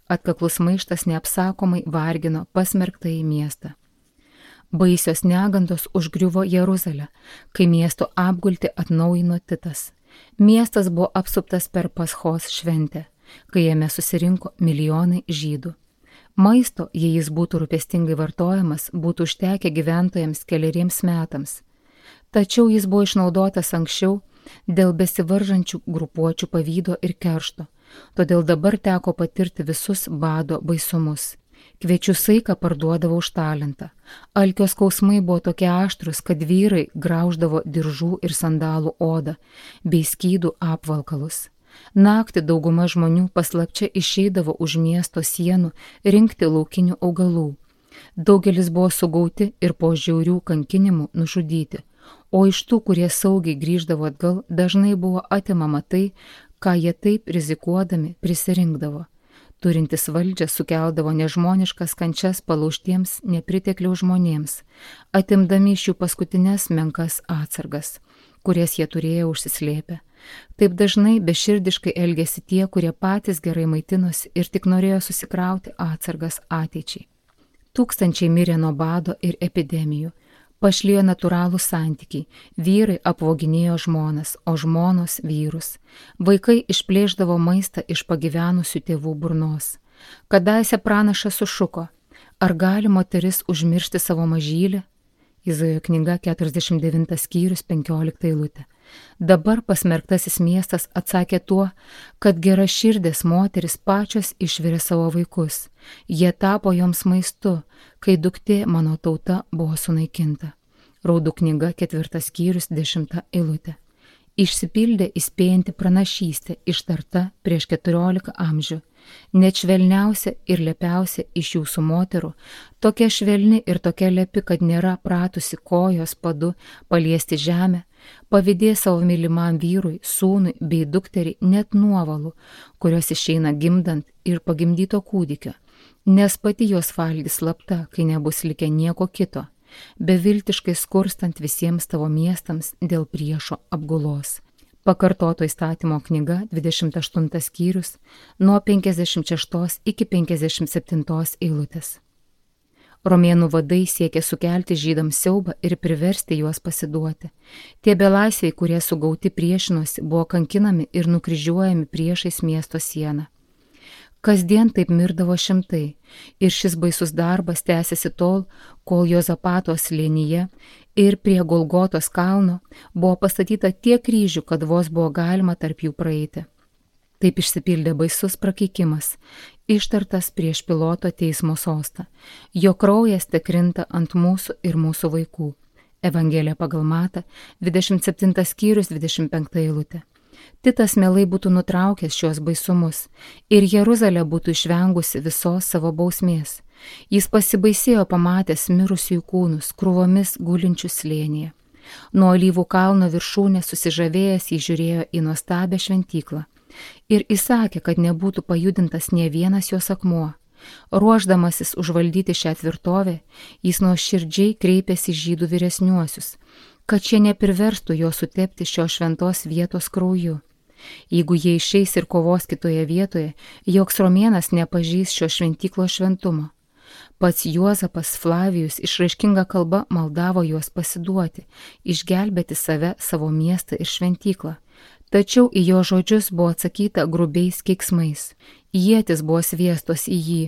S1: Atkaklus maištas neapsakomai vargino pasmerktąjį miestą. Baisios negandos užgriuvo Jeruzalę, kai miesto apgultį atnaujino Titas. Miestas buvo apsuptas per Paschos šventę, kai jame susirinko milijonai žydų. Maisto, jei jis būtų rūpestingai vartojamas, būtų užtekę gyventojams keleriems metams. Tačiau jis buvo išnaudotas anksčiau dėl besivaržančių grupuočių pavydo ir keršto, todėl dabar teko patirti visus bado baisumus. Kviečių saiką parduodavo už talentą. Alkio skausmai buvo tokie aštrus, kad vyrai grauždavo diržų ir sandalų odą bei skydų apvalkalus. Naktį dauguma žmonių paslapčia išeidavo už miesto sienų rinkti laukinių augalų. Daugelis buvo sugauti ir po žiaurių kankinimų nužudyti, o iš tų, kurie saugiai grįždavo atgal, dažnai buvo atimama tai, ką jie taip rizikuodami prisirinkdavo. turintis valdžią sukeldavo nežmoniškas kančias palaužtiems nepritekliaus žmonėms, atimdami iš jų paskutinės menkas atsargas, kurias jie turėjo užsislėpę. Taip dažnai beširdiškai elgėsi tie, kurie patys gerai maitinosi ir tik norėjo susikrauti atsargas ateičiai. Tūkstančiai mirė nuo bado ir epidemijų. Pašlijo natūralų santykiai, vyrai apvoginėjo žmonas, o žmonos vyrus. Vaikai išplėšdavo maistą iš pagyvenusių tėvų burnos. Kadaise pranašas sušuko, ar gali moteris užmiršti savo mažylį? Izaijo knyga 49 skyrius 15 eilutė. Dabar pasmerktasis miestas atsakė tuo, kad geraširdės moteris pačios išvirė savo vaikus. Jie tapo joms maistu, kai duktė mano tauta buvo sunaikinta. Raudų knyga 4 skyrius 10 eilutė. Išsipildė įspėjanti pranašystė ištarta prieš 14 amžių. Net švelniausia ir lepiausia iš jūsų moterų, tokia švelni ir tokia lepi, kad nėra pratusi kojos padu paliesti žemę, pavydės savo mylimam vyrui, sūnui bei dukteriai net nuovalų, kurios išeina gimdant ir pagimdyto kūdikio, nes pati jos valgys slapta, kai nebus likę nieko kito, beviltiškai skurstant visiems tavo miestams dėl priešo apgulos. Pakartoto įstatymo knyga 28 skyrius nuo 56 iki 57 eilutės. Romėnų vadai siekė sukelti žydams siaubą ir priversti juos pasiduoti. Tie belaisviai, kurie sugauti priešinosi, buvo kankinami ir nukryžiuojami priešais miesto sieną. Kasdien taip mirdavo šimtai ir šis baisus darbas tęsiasi tol, kol Jozapato slėnyje ir prie Golgotos kalno buvo pastatyta tiek kryžių, kad vos buvo galima tarp jų praeiti. Taip išsipildė baisus prakeikimas, ištartas prieš Piloto teismo sostą. Jo kraujas tekrinta ant mūsų ir mūsų vaikų. Evangelija pagal Matą, 27 skyrius 25 eilutė. Titas mielai būtų nutraukęs šios baisumus ir Jeruzalė būtų išvengusi visos savo bausmės. Jis pasibaisėjo pamatęs mirusiųjų kūnus krūvomis gulinčius slėnyje. Nuo Alyvų kalno viršūnės susižavėjęs jis žiūrėjo į nuostabią šventyklą ir įsakė, kad nebūtų pajudintas nė vienas jos akmuo. Ruošdamasis užvaldyti šią tvirtovę, jis nuoširdžiai kreipėsi į žydų vyresniuosius, kad šie nepriverstų jo sutepti šios šventos vietos krauju. Jeigu jie išeis ir kovos kitoje vietoje, joks romėnas nepažys šio šventyklos šventumo. Pats Juozapas Flavijus išraiškinga kalba maldavo juos pasiduoti, išgelbėti save, savo miestą ir šventyklą. Tačiau į jo žodžius buvo atsakyta grubiais keiksmais. Ietis buvo sviestos į jį,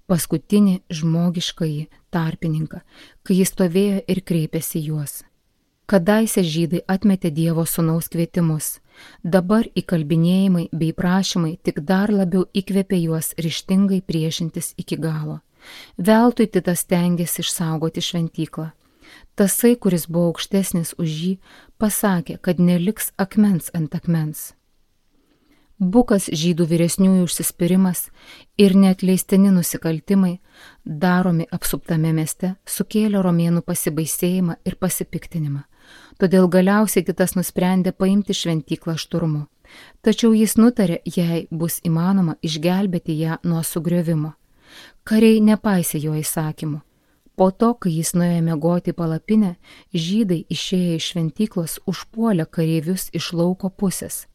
S1: paskutinį žmogiškąjį tarpininką, kai jis stovėjo ir kreipėsi juos. Kadaise žydai atmetė Dievo sūnaus kvietimus, dabar įkalbinėjimai bei prašymai tik dar labiau įkvėpė juos ryžtingai priešintis iki galo. Veltui Titas stengėsi išsaugoti šventyklą. Tasai, kuris buvo aukštesnis už jį, pasakė, kad neliks akmens ant akmens. Bukas žydų vyresniųjų užsispyrimas ir neatleistini nusikaltimai, daromi apsuptame mieste, sukėlė romėnų pasibaisėjimą ir pasipiktinimą. Todėl galiausiai Titas nusprendė paimti šventyklą šturmu. Tačiau jis nutarė, jei bus įmanoma, išgelbėti ją nuo sugriovimo. Kariai nepaisė jo įsakymų. Po to, kai jis nuėjo miegoti į palapinę, žydai išėję iš šventyklos užpuolė kareivius iš lauko pusės.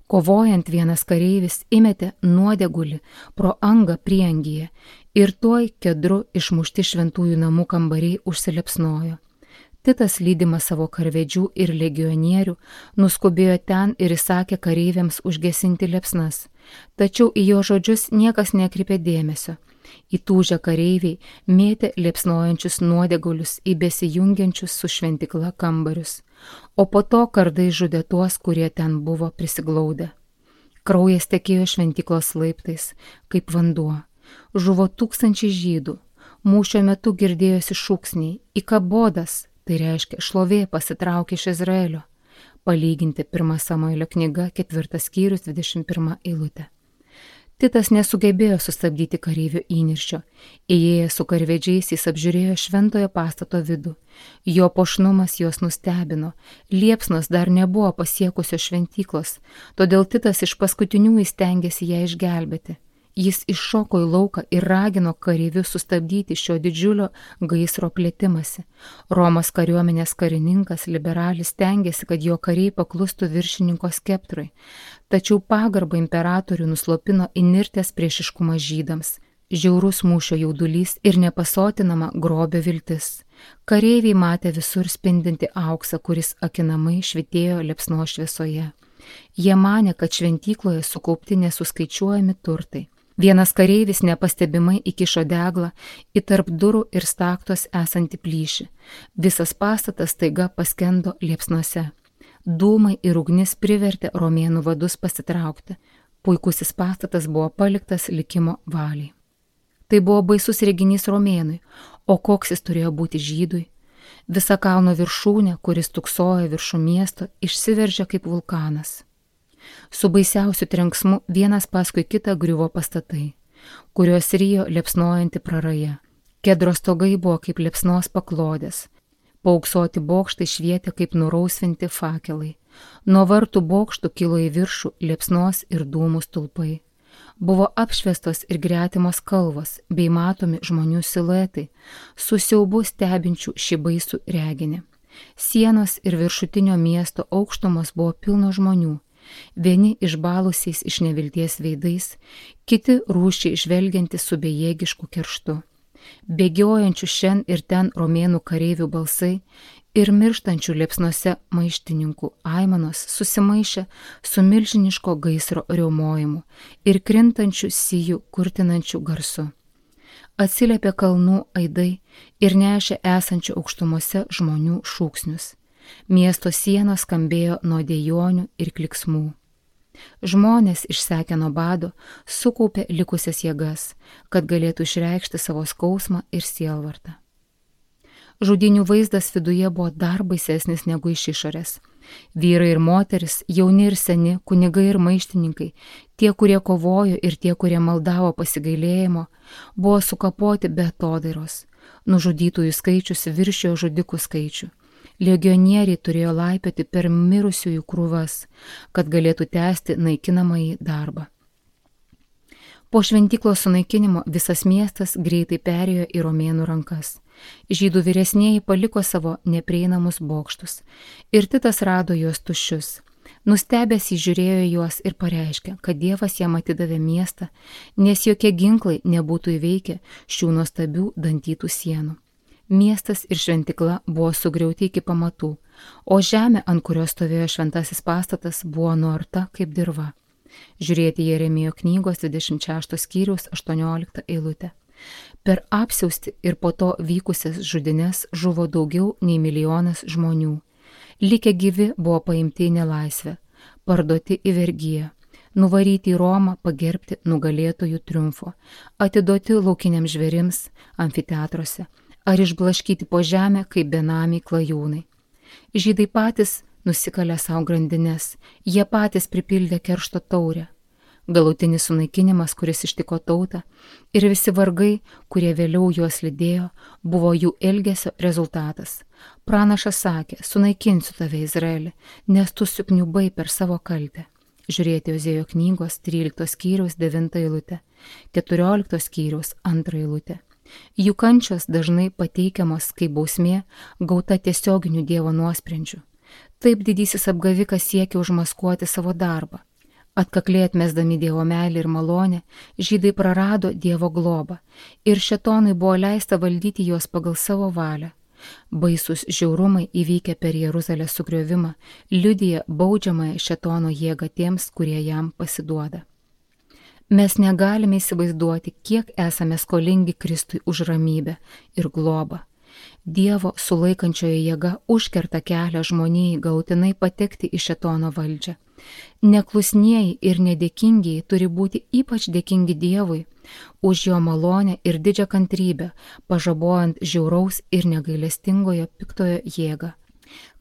S1: Kovojant vienas kareivis įmetė nuodėgulį pro angą prieangyje ir tuoj kedru išmušti šventųjų namų kambariai užsilepsnojo. Titas, lydimas savo karvedžių ir legionierių, nuskubėjo ten ir įsakė kareiviams užgesinti liepsnas. Tačiau į jo žodžius niekas nekreipė dėmesio. Įtūžę kareiviai mėtė liepsnojančius nuodėgulius į besijungiančius su šventykla kambarius, o po to kardai žudė tuos, kurie ten buvo prisiglaudę. Kraujas tekėjo šventyklos laiptais, kaip vanduo. Žuvo tūkstančiai žydų. Mūšio metu girdėjosi šūksniai Ikabodas, tai reiškia šlovė pasitraukė iš Izraelio. Palyginti 1 Samuelio knyga 4 skyrius 21 eilutė. Titas nesugebėjo sustabdyti kareivių įniršio. Įėjęs su karvedžiais jis apžiūrėjo šventojo pastato vidų. Jo puošnumas juos nustebino. Liepsnos dar nebuvo pasiekusios šventyklos, todėl Titas iš paskutinių įstengėsi ją išgelbėti. Jis iššoko į lauką ir ragino kareivius sustabdyti šio didžiulio gaisro plėtimąsi. Romos kariuomenės karininkas liberalis stengiasi, kad jo kariai paklustų viršininko skeptrui, tačiau pagarbą imperatorių nuslopino įnirtęs priešiškumas žydams, žiaurus mūšio jaudulys ir nepasotinama grobio viltis. Kareiviai matė visur spindinti auksą, kuris akinamai švitėjo liepsnos šviesoje. Jie manė, kad šventykloje sukaupti nesuskaičiuojami turtai. Vienas kareivis nepastebimai įkišo deglą į tarp durų ir staktos esantį plyšį. Visas pastatas staiga paskendo liepsnose. Dūmai ir ugnis privertė romėnų vadus pasitraukti. Puikusis pastatas buvo paliktas likimo valiai. Tai buvo baisus reginys romėnui, o koks jis turėjo būti žydui. Visa kalno viršūnė, kuris tuksojo viršų miesto, išsiveržė kaip vulkanas. Su baisiausiu trenksmu vienas paskui kitą griuvo pastatai, kuriuos rijo liepsnojanti praraja. Kedro stogai buvo kaip liepsnos paklodės. Paauksuoti bokštai švietė kaip nurausvinti fakelai. Nuo vartų bokštų kilo į viršų liepsnos ir dūmų stulpai. Buvo apšviestos ir gretimos kalvos bei matomi žmonių siluetai, su siaubu stebinčių šį baisų reginį. Sienos ir viršutinio miesto aukštumos buvo pilno žmonių. Vieni išbalusiais iš nevilties veidais, kiti rūsčiai žvelgianti su bejėgišku kerštu. Bėgiojančių šen ir ten romėnų kareivių balsai ir mirštančių liepsnose maištininkų aimanos susimaišė su milžiniško gaisro riaumojimu ir krintančių sijų kurtinančių garsu. Atsiliepė kalnų aidai ir nešė esančių aukštumose žmonių šūksnius. Miesto sienos skambėjo nuo dejonių ir kliksmų. Žmonės išsekę nuo bado sukaupė likusias jėgas, kad galėtų išreikšti savo skausmą ir sielvartą. Žudynių vaizdas viduje buvo dar baisesnis negu iš išorės. Vyrai ir moteris, jauni ir seni, kunigai ir maištininkai, tie, kurie kovojo ir tie, kurie maldavo pasigailėjimo, buvo sukapoti be atodairos. Nužudytųjų skaičius viršijo žudikų skaičių. Legionieriai turėjo laipioti per mirusiųjų krūvas, kad galėtų tęsti naikinamąjį darbą. Po šventyklos sunaikinimo visas miestas greitai perėjo į romėnų rankas. Žydų vyresnieji paliko savo neprieinamus bokštus ir Titas rado juos tuščius. Nustebęs įžiūrėjo juos ir pareiškė, kad Dievas jam atidavė miestą, nes jokie ginklai nebūtų įveikę šių nuostabių dantytų sienų. Miestas ir šventykla buvo sugriauti iki pamatų, o žemė, ant kurios stovėjo šventasis pastatas, buvo nuarta kaip dirva. Žiūrėti Jeremijo knygos 26 skyriaus 18 eilutę. Per apsiausti ir po to vykusias žudines žuvo daugiau nei 1 milijonas žmonių. Likę gyvi buvo paimti į nelaisvę, parduoti į vergiją, nuvaryti į Romą pagerbti nugalėtojų triumfo, atiduoti laukiniams žvėrims amfiteatruose, ar išblaškyti po žemę kaip benamiai klajūnai. Žydai patys nusikalė savo grandines, jie patys pripildė keršto taurę. Galutinis sunaikinimas, kuris ištiko tautą, ir visi vargai, kurie vėliau juos lydėjo, buvo jų elgesio rezultatas. Pranašas sakė, sunaikinsiu tave Izraelį, nes tu sukniubai per savo kaltę. Žiūrėti Ozėjo knygos 13 skyriaus 9 eilutę, 14 skyriaus 2 eilutę. Jų kančios dažnai pateikiamos kaip bausmė gauta tiesioginių Dievo nuosprendžių. Taip didysis apgavikas siekia užmaskuoti savo darbą. Atkakliai atmesdami Dievo meilę ir malonę, žydai prarado Dievo globą ir šėtonui buvo leista valdyti juos pagal savo valią. Baisus žiaurumai įvykę per Jeruzalės sugriovimą liudija baudžiamąją šėtono jėgą tiems, kurie jam pasiduoda. Mes negalime įsivaizduoti, kiek esame skolingi Kristui už ramybę ir globą. Dievo sulaikančioje jėga užkerta kelią žmonijai galutinai patekti į šėtono valdžią. Neklusnieji ir nedėkingieji turi būti ypač dėkingi Dievui už jo malonę ir didžią kantrybę, pažabojant žiauraus ir negailestingojo piktojo jėgą.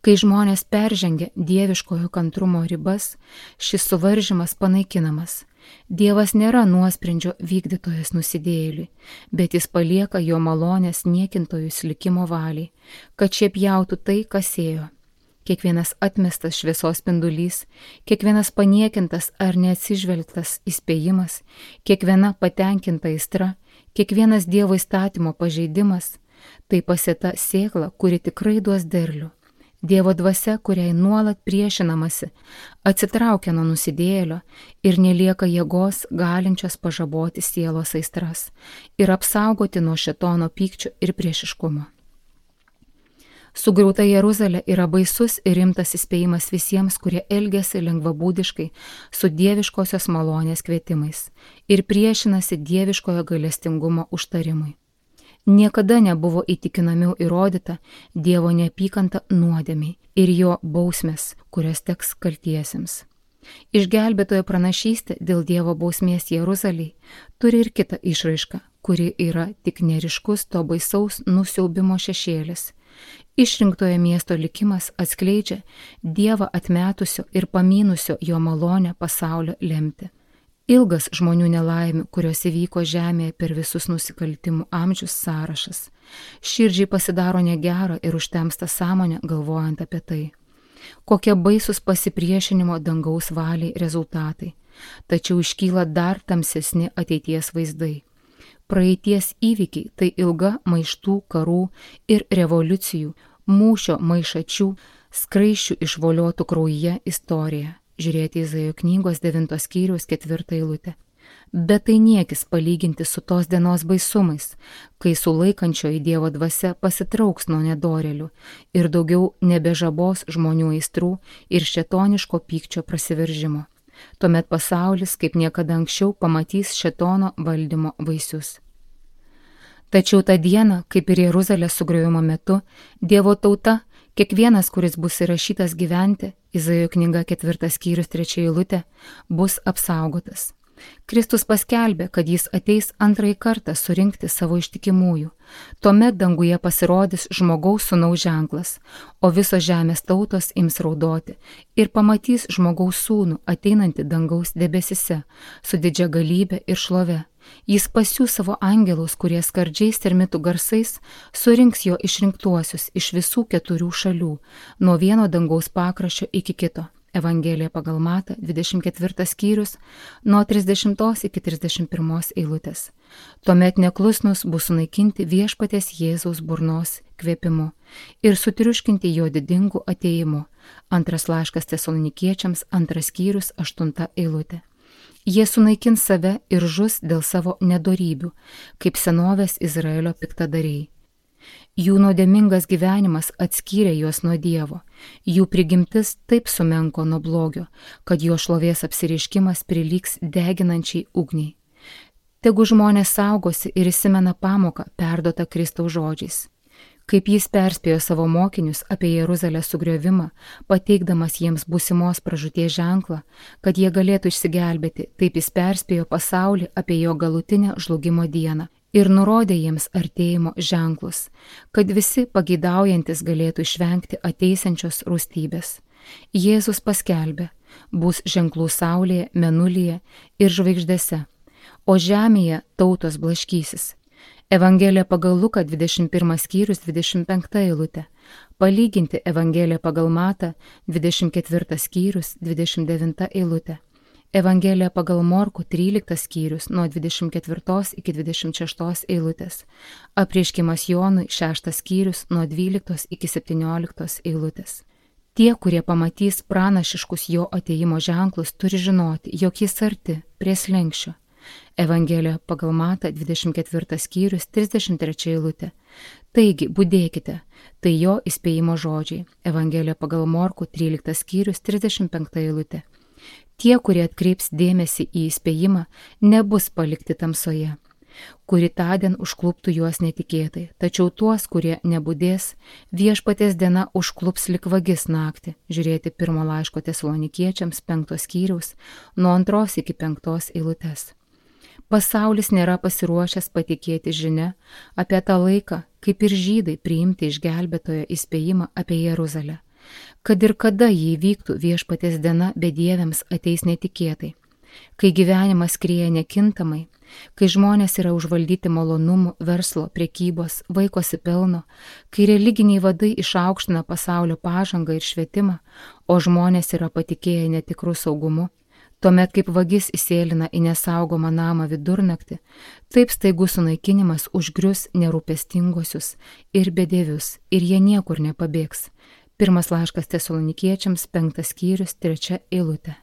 S1: Kai žmonės peržengia dieviškojo kantrumo ribas, šis suvaržymas panaikinamas. Dievas nėra nuosprendžio vykdytojas nusidėjėliui, bet jis palieka jo malonės niekintojus likimo valiai, kad šie pjautų tai, kas ėjo. kiekvienas atmestas šviesos spindulys, kiekvienas paniekintas ar neatsižvelgtas įspėjimas, kiekviena patenkinta aistra, kiekvienas Dievo įstatymo pažeidimas – tai pasėta sėkla, kuri tikrai duos derlių. Dievo dvasia, kuriai nuolat priešinamasi, atsitraukia nuo nusidėjėlio ir nelieka jėgos galinčios pažaboti sielos aistras ir apsaugoti nuo šėtono pykčio ir priešiškumo. Sugriauta Jeruzalė yra baisus ir rimtas įspėjimas visiems, kurie elgiasi lengvabūdiškai su dieviškosios malonės kvietimais ir priešinasi dieviškojo gailestingumo užtarimui. Niekada nebuvo įtikinamiau įrodyta Dievo neapykanta nuodėmiai ir jo bausmės, kurios teks kaltiesiems. Išgelbėtojo pranašystė dėl Dievo bausmės Jeruzalei turi ir kitą išraišką, kuri yra tik neryškus to baisaus nusiaubimo šešėlis. Išrinktojo miesto likimas atskleidžia Dievą atmetusio ir pamynusio jo malonę pasaulio lemtį. Ilgas žmonių nelaimių, kurios įvyko žemėje per visus nusikaltimų amžius sąrašas. Širdžiai pasidaro negera ir užtemsta sąmonė galvojant apie tai. Kokie baisus pasipriešinimo dangaus valiai rezultatai. Tačiau iškyla dar tamsesni ateities vaizdai. Praeities įvykiai tai ilga maištų, karų ir revoliucijų, mūšio maišačių, skraiščių išvoliotų kraujyje istorija. Žiūrėti Izaijo knygos 9 skyriaus 4 eilutę. Bet tai niekis palyginti su tos dienos baisumais, kai sulaikančioji Dievo dvasia pasitrauks nuo nedorėlių ir daugiau nebežabos žmonių aistrų ir šėtoniško pykčio prasiveržimo. Tuomet pasaulis kaip niekada anksčiau pamatys šėtono valdymo vaisius. Tačiau tą dieną, kaip ir Jeruzalės sugriovimo metu, Dievo tauta, kiekvienas, kuris bus įrašytas gyventi, Izaijo knyga 4 skyrius 3 eilutė, bus apsaugotas. Kristus paskelbė, kad jis ateis antrąjį kartą surinkti savo ištikimųjų. Tuomet danguje pasirodys žmogaus sūnaus ženklas, o visos žemės tautos ims raudoti ir pamatys žmogaus sūnų ateinantį dangaus debesise su didžia galybė ir šlove. Jis pasiųs savo angelus, kurie skardžiais termitų garsais surinks jo išrinktuosius iš visų 4 šalių, nuo vieno dangaus pakraščio iki kito. Evangelija pagal Matą, 24 skyrius, nuo 30 iki 31 eilutės. Tuomet neklusnus bus sunaikinti viešpaties Jėzaus burnos kvėpimu ir sutriuškinti jo didingu atėjimu. Antras laiškas Tesalonikiečiams, 2 skyrius, 8 eilutė. Jie sunaikins save ir žus dėl savo nedorybių, kaip senovės Izraelio piktadariai. Jų nuodėmingas gyvenimas atskyrė juos nuo Dievo, jų prigimtis taip sumenko nuo blogio, kad jo šlovės apsireiškimas prilygs deginančiai ugniai. Tegu žmonės saugosi ir įsimena pamoką perduotą Kristaus žodžiais. Kaip jis perspėjo savo mokinius apie Jeruzalės sugriovimą, pateikdamas jiems būsimos pražūties ženklą, kad jie galėtų išsigelbėti, taip jis perspėjo pasaulį apie jo galutinę žlugimo dieną ir nurodė jiems artėjimo ženklus, kad visi pageidaujantis galėtų išvengti ateisiančios rūstybės. Jėzus paskelbė, bus ženklų saulėje, mėnulyje ir žvaigždėse, o žemėje tautos blaškysis. Evangelija pagal Luką 21 skyrius 25 eilutė, palyginti Evangeliją pagal Matą 24 skyrius 29 eilutė, Evangelija pagal Morkų 13 skyrius nuo 24 iki 26 eilutės, apreiškimas Jonui 6 skyrius nuo 12 iki 17 eilutės. Tie, kurie pamatys pranašiškus jo atėjimo ženklus, turi žinoti, jog jis arti, prie slenksčio. Evangelija pagal Matą 24 skyrius 33 eilutė. Taigi, budėkite, tai jo įspėjimo žodžiai. Evangelija pagal Morkų 13 skyrius 35 eilutė. Tie, kurie atkreips dėmesį į įspėjimą, nebus palikti tamsoje, kuri tądien užkluptų juos netikėtai, tačiau tuos, kurie nebudės, viešpaties diena užklups lik vagis naktį. Žiūrėti 1 laiško Tesalonikiečiams 5 skyriaus nuo 2 iki 5 eilutės. Pasaulis nėra pasiruošęs patikėti žinia apie tą laiką, kaip ir žydai priimti išgelbėtojo įspėjimą apie Jeruzalę. Kad ir kada jį vyktų viešpaties diena bedieviams ateis netikėtai. Kai gyvenimas skrieja nekintamai, kai žmonės yra užvaldyti malonumų, verslo, prekybos, vaikosi pelno, kai religiniai vadai išaukština pasaulio pažangą ir švietimą, o žmonės yra patikėję netikrų saugumu, tuomet kaip vagis įsėlina į nesaugomą namą vidurnaktį, taip staigus sunaikinimas užgrius nerūpestingosius ir bedievius ir jie niekur nepabėgs. Pirmas laiškas Tesalonikiečiams, 5 skyrius, 3 eilutė.